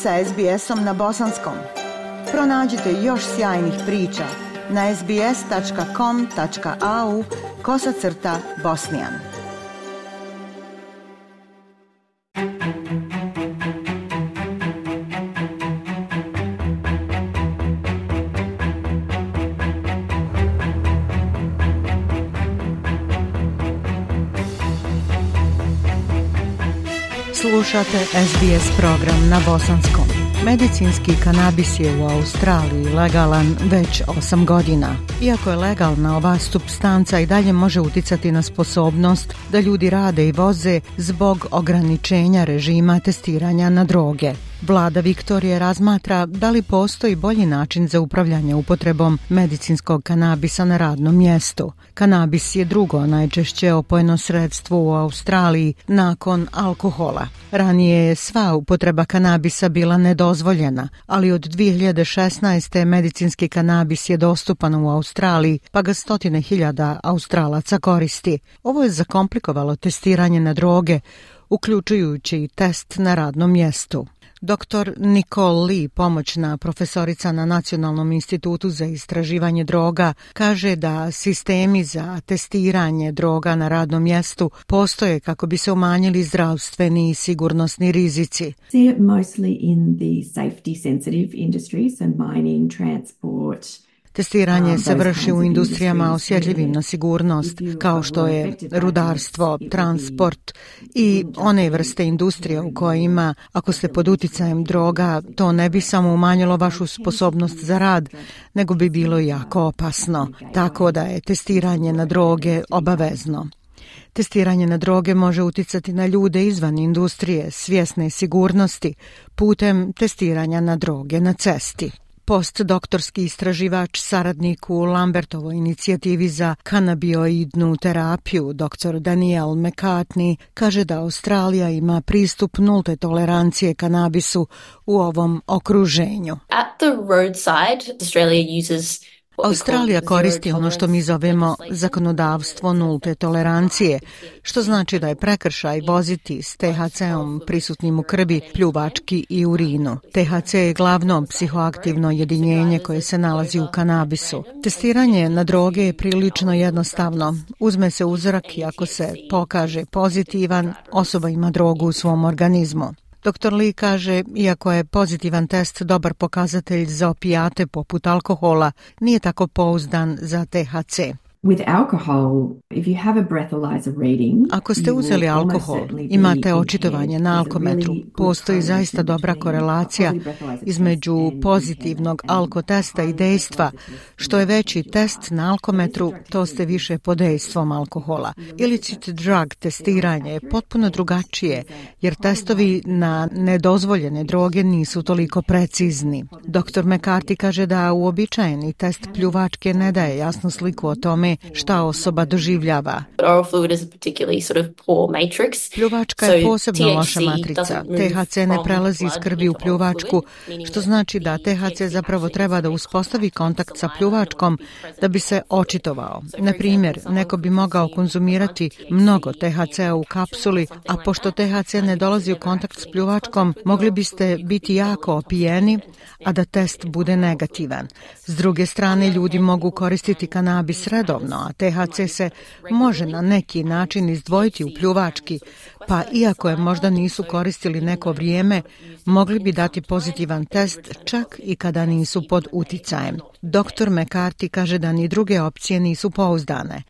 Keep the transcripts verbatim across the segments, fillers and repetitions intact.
sa es be esom na bosanskom. Pronađite još sjajnih priča na sbs.com.au kosacrta bosnijan. Slušate es be es program na bosanskom. Medicinski kanabis je u Australiji legalan već osam godina. Iako je legalna, ova supstanca i dalje može uticati na sposobnost da ljudi rade i voze zbog ograničenja režima testiranja na droge. Vlada Viktorije razmatra da li postoji bolji način za upravljanje upotrebom medicinskog kanabisa na radnom mjestu. Kanabis je drugo najčešće opojno sredstvo u Australiji nakon alkohola. Ranije je sva upotreba kanabisa bila nedozvoljena, ali od dvije hiljade šesnaeste. medicinski kanabis je dostupan u Australiji, pa ga stotine hiljada Australaca koristi. Ovo je zakomplikovalo testiranje na droge, uključujući i test na radnom mjestu. doktor Nicole Lee, pomoćna profesorica na Nacionalnom institutu za istraživanje droga, kaže da sistemi za testiranje droga na radnom mjestu postoje kako bi se umanjili zdravstveni i sigurnosni rizici. Mostly in the safety sensitive industries and mining, transport. Testiranje se vrši u industrijama osjetljivim na sigurnost, kao što je rudarstvo, transport i one vrste industrije u kojima, ako ste pod uticajem droga, to ne bi samo umanjilo vašu sposobnost za rad, nego bi bilo jako opasno, tako da je testiranje na droge obavezno. Testiranje na droge može uticati na ljude izvan industrije, svjesne sigurnosti, putem testiranja na droge na cesti. Postdoktorski istraživač, saradnik u Lambertovoj inicijativi za kanabioidnu terapiju, doktor Daniel McCartney, kaže da Australija ima pristup nulte tolerancije kanabisu u ovom okruženju. At the roadside, Australia uses Australija koristi ono što mi zovemo zakonodavstvo nulte tolerancije, što znači da je prekršaj voziti s te ha ceom prisutnim u krvi, pljuvački i urinu. te ha ce je glavno psihoaktivno jedinjenje koje se nalazi u kanabisu. Testiranje na droge je prilično jednostavno. Uzme se uzorak i ako se pokaže pozitivan, osoba ima drogu u svom organizmu. doktor Lee kaže, iako je pozitivan test dobar pokazatelj za opijate poput alkohola, nije tako pouzdan za te ha ce. With alcohol, if you have a breathalyzer reading, ako ste uzeli alkohol, imate očitovanje na alkometru. Postoji zaista dobra korelacija između pozitivnog alkotesta i dejstva. Što je veći test na alkometru, to ste više pod dejstvom alkohola. Illicit drug testiranje je potpuno drugačije, jer testovi na nedozvoljene droge nisu toliko precizni. doktor McCarthy kaže da uobičajeni test pljuvačke ne daje jasnu sliku o tome šta osoba doživljava. Pljuvačka je posebno loša matrica. te ha ce ne prelazi iz krvi u pljuvačku, što znači da te ha ce zapravo treba da uspostavi kontakt sa pljuvačkom da bi se očitovao. Na primjer, neko bi mogao konzumirati mnogo te ha ce u kapsuli, a pošto te ha ce ne dolazi u kontakt s pljuvačkom, mogli biste biti jako opijeni, a da test bude negativan. S druge strane, ljudi mogu koristiti kanabis redovno, a te ha ce se može na neki način izdvojiti u pljuvački, pa iako je možda nisu koristili neko vrijeme, mogli bi dati pozitivan test čak i kada nisu pod uticajem. doktor McCarthy kaže da ni druge opcije nisu pouzdane.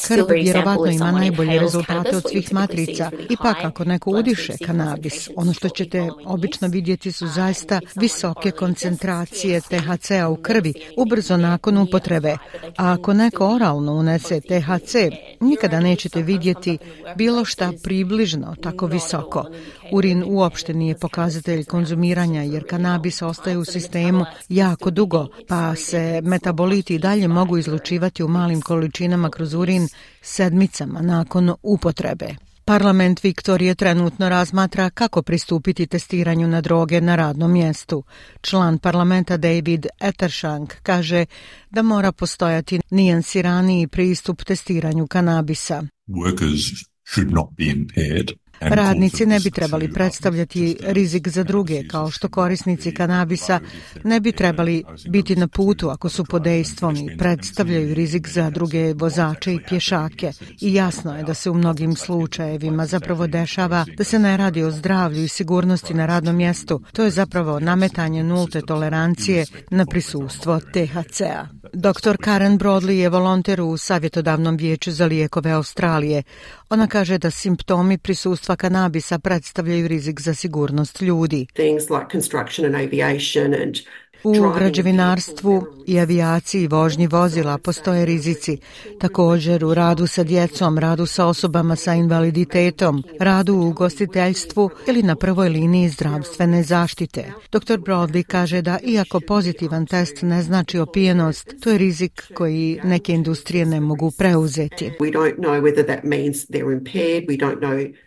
Krv vjerovatno ima najbolje rezultate od svih matrica. Ipak ako neko udiše kanabis, ono što ćete obično vidjeti su zaista visoke koncentracije te ha ce u krvi ubrzo nakon upotrebe. A ako neko oralno unese te ha ce, nikada nećete vidjeti bilo šta približno tako visoko. Urin uopšte nije pokazatelj konzumiranja jer kanabis ostaje u sistemu jako dugo, pa se metaboliti dalje mogu izlučivati u malim količinama kroz urin sedmicama nakon upotrebe. Parlament Viktorije trenutno razmatra kako pristupiti testiranju na droge na radnom mjestu. Član parlamenta David Ettershank kaže da mora postojati nijansiraniji pristup testiranju kanabisa. Workers should not be impaired. Radnici ne bi trebali predstavljati rizik za druge, kao što korisnici kanabisa ne bi trebali biti na putu ako su pod dejstvom i predstavljaju rizik za druge vozače i pješake. I jasno je da se u mnogim slučajevima zapravo dešava da se ne radi o zdravlju i sigurnosti na radnom mjestu. To je zapravo nametanje nulte tolerancije na prisustvo T H C-a. doktor Karen Broadley je volonter u savjetodavnom vijeću za lijekove Australije. Ona kaže da simptomi prisustva kanabisa predstavljaju rizik za sigurnost ljudi. Things like construction and aviation and U građevinarstvu i avijaciji i vožnji vozila postoje rizici. Također u radu sa djecom, radu sa osobama sa invaliditetom, radu u ugostiteljstvu ili na prvoj liniji zdravstvene zaštite. doktor Broadley kaže da iako pozitivan test ne znači opijenost, to je rizik koji neke industrije ne mogu preuzeti.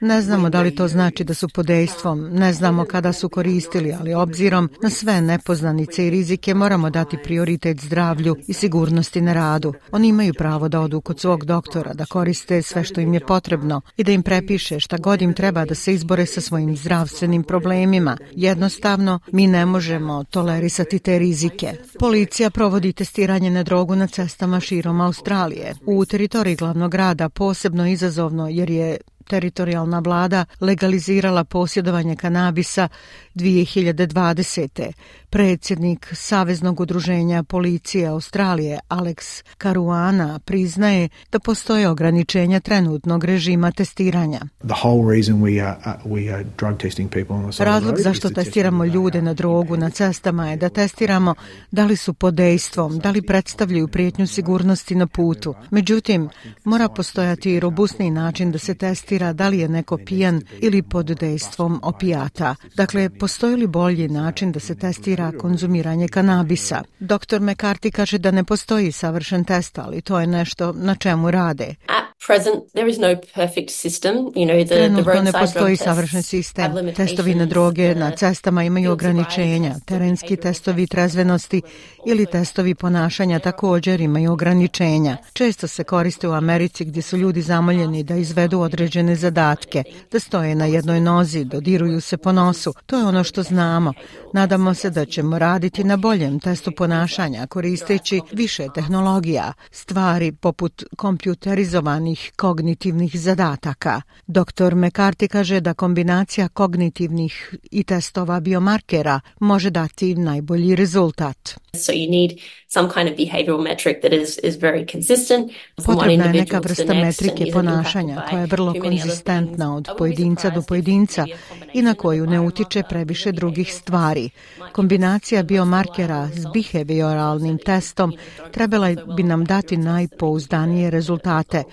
Ne znamo da li to znači da su pod dejstvom, ne znamo kada su koristili, ali obzirom na sve nepoznanice i rizike moramo dati prioritet zdravlju i sigurnosti na radu. Oni imaju pravo da odu kod svog doktora, da koriste sve što im je potrebno i da im prepiše šta god im treba da se izbore sa svojim zdravstvenim problemima. Jednostavno, mi ne možemo tolerisati te rizike. Policija provodi testiranje na drogu na cestama širom Australije. U teritoriji glavnog grada posebno izazovno jer je teritorijalna vlada legalizirala posjedovanje kanabisa dvije hiljade dvadesete. Predsjednik Saveznog udruženja policije Australije Alex Caruana priznaje da postoje ograničenja trenutnog režima testiranja. Razlog zašto testiramo ljude na drogu na cestama je da testiramo da li su pod dejstvom, da li predstavljaju prijetnju sigurnosti na putu. Međutim, mora postojati robustni način da se testira da li je neko pijan ili pod dejstvom opijata. Dakle, postoji li bolji način da se testira konzumiranje kanabisa? doktor McCarthy kaže da ne postoji savršen test, ali to je nešto na čemu rade. Trenutno ne postoji savršen sistem. Testovi na droge na cestama imaju ograničenja. Terenski testovi trezvenosti ili testovi ponašanja također imaju ograničenja. Često se koriste u Americi gdje su ljudi zamoljeni da izvedu određene zadatke, da stoje na jednoj nozi, dodiruju se po nosu. To je ono što znamo. Nadamo se da ćemo raditi na boljem testu ponašanja koristeći više tehnologija, stvari poput kompjuterizovanih kognitivnih zadataka. doktor McCarthy kaže da kombinacija kognitivnih i testova biomarkera može dati najbolji rezultat. So you need some kind of behavioral metric that is is very consistent. Potrebna je neka vrsta metrike ponašanja koja je vrlo konzistentna od pojedinca do pojedinca i na koju ne utiče previše drugih stvari. Kombinacija biomarkera s behavioralnim testom trebala bi nam dati najpouzdanije rezultate,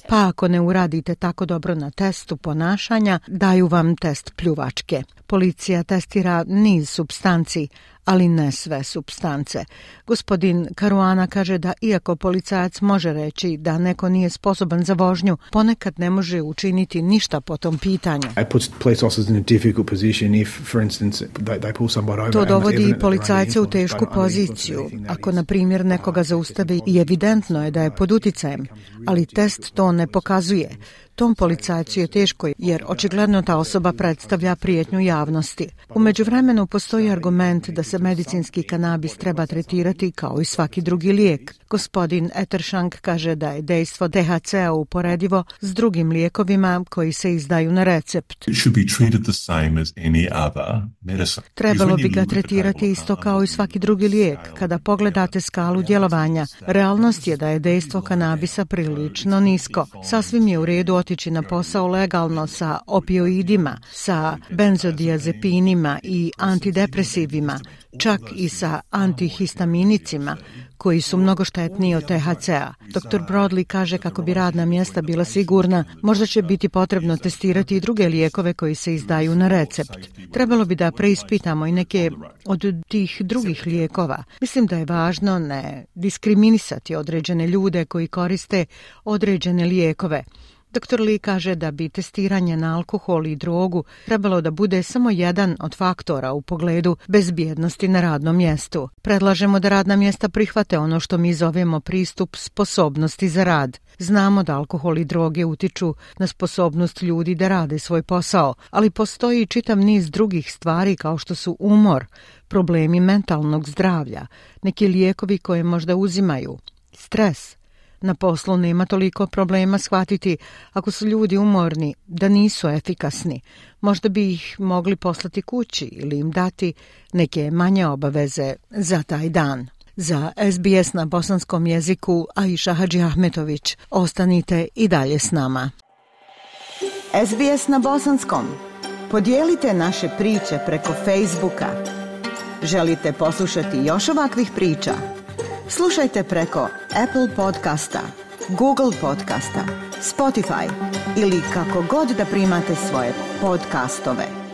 pa ako ne uradite tako dobro na testu ponašanja, daju vam test pljuvačke. Policija testira niz supstanci, ali ne sve supstance. Gospodin Caruana kaže da iako policajac može reći da neko nije sposoban za vožnju, ponekad ne može učiniti ništa po tom pitanju. To dovodi i policajce u tešku poziciju. Ako, na primjer, nekoga zaustavi i evidentno je da je pod uticajem, ali test to ne pokazuje. Tom policajcu je teško jer očigledno ta osoba predstavlja prijetnju javnosti. U međuvremenu postoji argument da se medicinski kanabis treba tretirati kao i svaki drugi lijek. Gospodin Etershank kaže da je dejstvo T H C-a uporedivo s drugim lijekovima koji se izdaju na recept. Trebalo bi ga tretirati isto kao i svaki drugi lijek. Kada pogledate skalu djelovanja, realnost je da je dejstvo kanabisa prilično nisko. Sasvim je u redu otići na posao legalno sa opioidima, sa benzodiazepinima i antidepresivima, čak i sa antihistaminicima, koji su mnogo štetniji od T H C-a. doktor Broadley kaže kako bi radna mjesta bila sigurna, možda će biti potrebno testirati i druge lijekove koji se izdaju na recept. Trebalo bi da preispitamo i neke od tih drugih lijekova. Mislim da je važno ne diskriminisati određene ljude koji koriste određene lijekove. doktor Lee kaže da bi testiranje na alkohol i drogu trebalo da bude samo jedan od faktora u pogledu bezbjednosti na radnom mjestu. Predlažemo da radna mjesta prihvate ono što mi zovemo pristup sposobnosti za rad. Znamo da alkohol i droge utiču na sposobnost ljudi da rade svoj posao, ali postoji čitav niz drugih stvari kao što su umor, problemi mentalnog zdravlja, neki lijekovi koje možda uzimaju, stres. Na poslu nema toliko problema shvatiti ako su ljudi umorni da nisu efikasni. Možda bi ih mogli poslati kući ili im dati neke manje obaveze za taj dan. Za S B S na bosanskom jeziku Aisha Hadžiahmetović. Ostanite i dalje s nama. S B S na bosanskom. Podijelite naše priče preko Facebooka. Želite poslušati još ovakvih priča? Slušajte preko Apple podcasta, Google podcasta, Spotify ili kako god da primate svoje podcastove.